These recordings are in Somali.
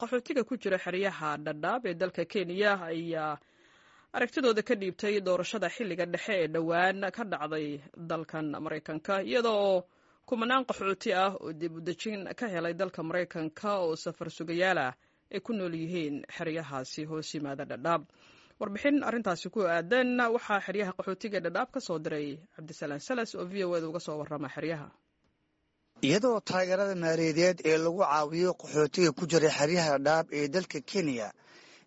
Qaxootiga ku jira xeryaha Dhadhaab ee dalka Kenya ayaa aragtidooda ka dhiibtay doorashada xilliga dhexe ee dhowaan ka dhacday dalkan Maraykanka, iyada oo kumanaan qaxooti ah oo dib u dejin ka helay dalka Maraykanka oo safar sugayaal ah ay ku nool yihiin xeryahaasi hoos yimaada Dhadhaab. Warbixin arrintaasi ku aadan waxaa xeryaha qaxootiga Dhadhaab ka soo diray Cabdisalaan Salas oo VOA da uga soo warrama xeryaha. Iyadoo taageerada maaliyadeed ee lagu caawiyo qaxootiga ku jira xeryaha Dhadhaab ee dalka Kenya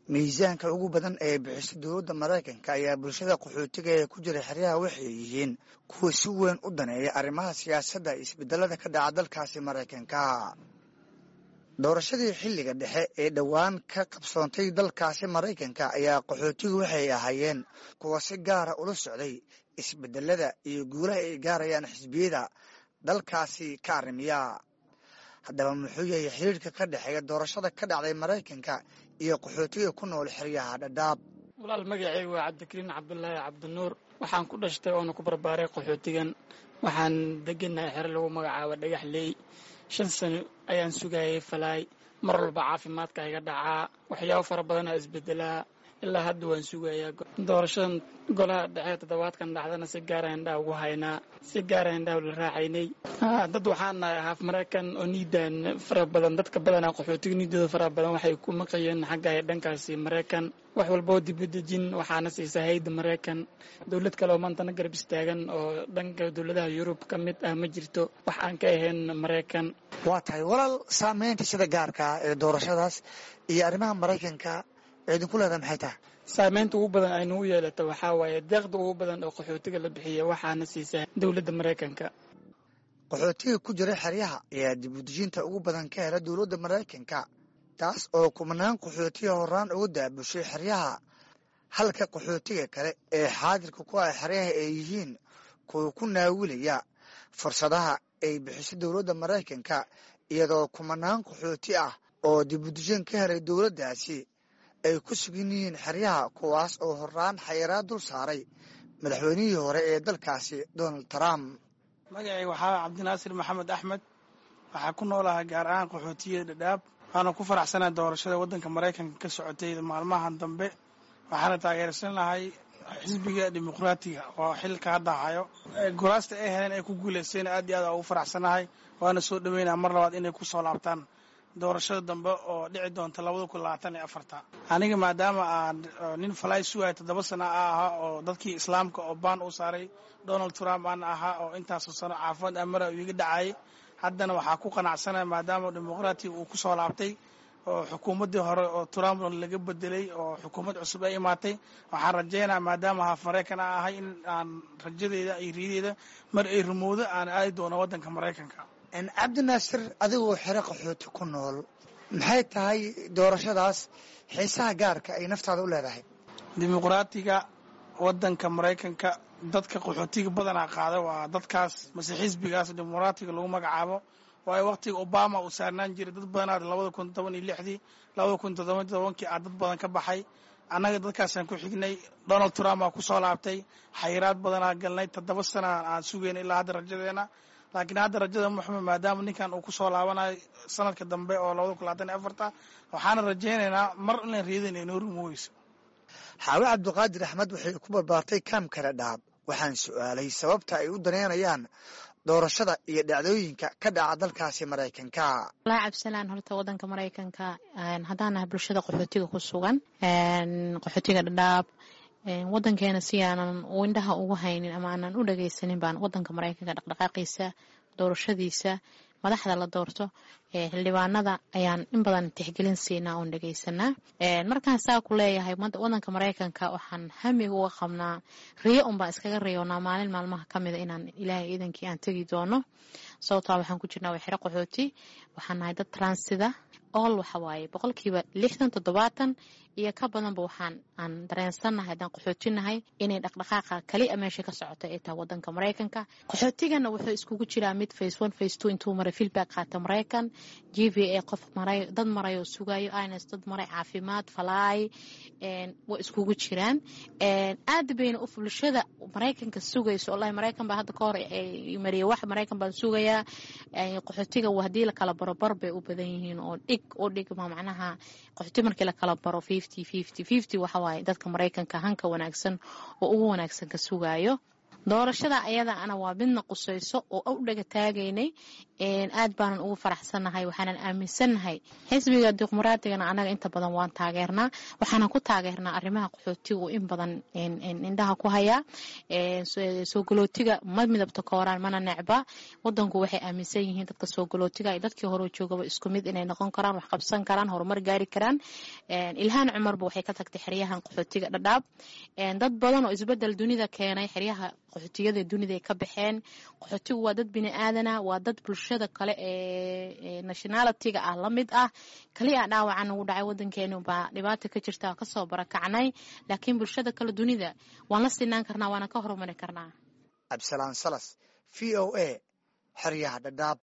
miisaanka ugu badan ee bixiso dowladda Maraykanka, ayaa bulshada qaxootiga ee ku jira xeryaha waxay yihiin kuwa si weyn u daneeya arrimaha siyaasadda iyo isbedelada ka dhaca dalkaasi Maraykanka. Doorashadii xilliga dhexe ee dhowaan ka qabsoontay dalkaasi Maraykanka ayaa qaxootigu waxay ahaayeen kuwa si gaara ula socday isbedelada iyo guulaha ay gaarayaan xisbiyada dalkaasi ka arrimiya. Haddaba, muxuu yahay xiriirka ka dhexeeya doorashada ka dhacday Maraykanka iyo qaxootiga ku nool xeryaha Dhadhaab? Walaal, magacaygu waa Cabdikariin Cabdulaahi Cabdinuur. Waxaan ku dhashtay oona ku barbaaray qaxootigan. Waxaan deganahay xero lagu magacaabo Dhagax Leey. 5 sano ayaan sugayay falaay. Mar walba caafimaadka iga dhacaa, waxyaabo fara badanaa isbedelaa. Ilaa hadda waan sugayaa doorashadan golaha dhexe toddobaadkan dhacdana. Si gaara indhaha ugu haynaa, si gaara indhaha la raacaynay. Dad waxaan nahay haaf Maraykan oo niidan fara badan. Dadka badanaa qaxootiga niidooda fara badan waxay ku maqayeen xagga dhankaasi Maraykan. Wax walboo dibudejin waxaana siisa hayda Maraykan. Dowlad kale oo maantana garab istaagan oo dhanka dowladaha Yurub ka mid ah ma jirto, wax aan ka ahayn Maraykan. Waa tahay, walaal. Saameynta sida gaarka ah ee doorashadaas iyo arrimaha Maraykanka idinku leedahay maxay tahay? Saameynta ugu badan ay nagu yeelata waxaa waaye deeqda ugu badan oo qaxootiga la bixiya waxaana siisa dowladda Maraykanka. Qaxootiga ku jira xeryaha ayaa dibudejinta ugu badan ka hela dowladda Maraykanka, taas oo kumanaan qaxootiga horaan uga daabushay xeryaha, halka qaxootiga kale ee xaadirka ku ah xeryaha ay yihiin kuwa ku naawilaya fursadaha ay bixiso dowladda Maraykanka, iyadoo kumanaan qaxooti ah oo dibudejin ka helay dowladdaasi ay ku sugan yihiin xeryaha, kuwaas oo horaan xayiraad dul saaray madaxweynihii hore ee dalkaasi, Donald Trump. Magacayga waxaa Cabdinaasir Maxamed Axmed. Waxaa ku noolahay gaar ahaan qaxootiyada Dhadhaab. Waxaana ku faraxsanahay doorashada waddanka Maraykanka ka socotay maalmahan dambe. Waxaana taageersan lahay xisbiga Dimuqraatiga oo xilka hadda hayo. Guraasta ay heleen ay ku guuleysteen aad iyo aad ugu faraxsanahay, waana soo dhaweynaa mar labaad inay ku soo laabtaan doorashada dambe oo dhici doonta 2024-ta. Aniga maadaama aan nin falaay sugaya 7 sano a ahaa oo dadkii Islaamka oo baan u saaray Donald Trump aan ahaa oo intaasoo sano caafimaad amara iga dhacayay, haddana waxaa ku qanacsanaya maadaama Dimuqraatiga uu ku soo laabtay oo xukuumaddii hore oo Trump laga bedelay oo xukuumad cusub ay imaatay, waxaan rajaynaya maadaama haaf Maraykan a ahay in aan rajadeyda iyo riyadeyda mar ay rumowdo aan aadi doono waddanka Maraykanka. Cabdinaasir, adigoo xero qaxooti ku nool, maxay tahay doorashadaas xiisaha gaarka ay naftaada u leedahay? Dimuqraatiga waddanka Maraykanka dadka qaxootiga badanaa qaada waa dadkaas mase xisbigaas Dimuqraatiga lagu magacaabo, waayo waqtiga Obama uu saarnaan jiray dad badanaad 2016-dii, 2017-kii aa dad badan ka baxay. Annaga dadkaasaan ku xignay. Donald Trump aa ku soo laabtay, xayiraad badanaa galnay, 7 sana aan sugayna ilaa hadda rajadeena. Laakiin hadda rajada muxume maadaama ninkan uu ku soo laabanayo sanadka dambe oo 2024-ta, waxaana rajaynaynaa mar inaan riyadan ay noo rumoweyso. Xaawe Cabdiqaadir Axmed waxay ku barbaartay kaamka Dhadhaab. Waxaan su'aalay sababta ay u daneynayaan doorashada iyo dhacdooyinka ka dhaca dalkaasi Maraykanka. Walahi Cabdisalaan, horta wadanka Maraykanka haddaan nahay bulshada qaxootiga ku sugan qaxootiga Dhadhaab, wadankeena si aanan indhaha ugu haynin ama aanan u dhageysanin baan wadanka Maraykanka dhaqdhaqaaqiisa, doorashadiisa, madaxda la doorto, xildhibaanada ayaan in badan tixgelin siinaa oon dhegeysanaa. Markaan saa ku leeyahay, wadanka Maraykanka waxaan hamiga uga qabnaa riyo unbaan iskaga riyoonaa maalin maalmaha kamida inaan Ilaahay iidankii aan tegi doono. Sababtaa waxaan ku jirnaa waa xero qaxooti. Waxaan nahay dad transida all. Waxa waaye 60%, 70 iyo ka badanba waxaan aan dareensannahay haddaan qaxootinahay inay dhaqdhaqaaqa kali a meesha ka socota ay tahay wadanka Maraykanka. Qaxootigana wuxuu iskugu jiraa mid phase one, phase two intuu maray feedback qaata Maraykan, GVA qof maray, dad maray oo sugayo ins, dad maray caafimaad falaay way iskugu jiraan. Aad bayna u bulshada Maraykanka sugayso. Wallahi, Maraykan baa hadda ka hor mariyay wax, Maraykan baan sugayaa. Qaxootiga haddii la kala barobar bay u badan yihiin oo dhig dhig u dhigma macnaha qaxooti markii la kala baro 50-50-50 waxa waaye dadka Maraykanka hanka wanaagsan oo ugu wanaagsan ka sugayo. Doorashada ayada ana waa midna qusayso oo u dhaga taagaynay, aad baanan ugu faraxsannahay, waxaanan aaminsannahay xisbiga dimuqraadiyana anaga inta badan waan taageernaa, waxaanan ku taageernaa arrimaha qaxootigu in badan indhaha ku hayaa. Soo galootiga ma midabta kooraan mana necba, wadanku waxay aaminsan yihiin dadka soo galootiga iyo dadkii hore joogaba isku mid inay noqon karaan, wax qabsan karaan, horumar gaari karaan. Ilhaan Cumarba waxay ka tagtay xeryahan qaxootiga Dhadhaab. Dad badan oo isbedel dunida keenay xeryaha qaxootiyada dunida ay ka baxeen. Qaxootigu waa dad bini aadana, waa dad bulshada kale ee nationality-ga ah la mid ah. Kaliya dhaawacan ugu dhacay wadankeenu baa dhibaata ka jirta, kasoo barakacnay, laakiin bulshada kale dunida waan la sinaan karnaa, waana ka horumari karnaa. Cabdisalaan Salas, VOA, xeryaha Dhadhaab.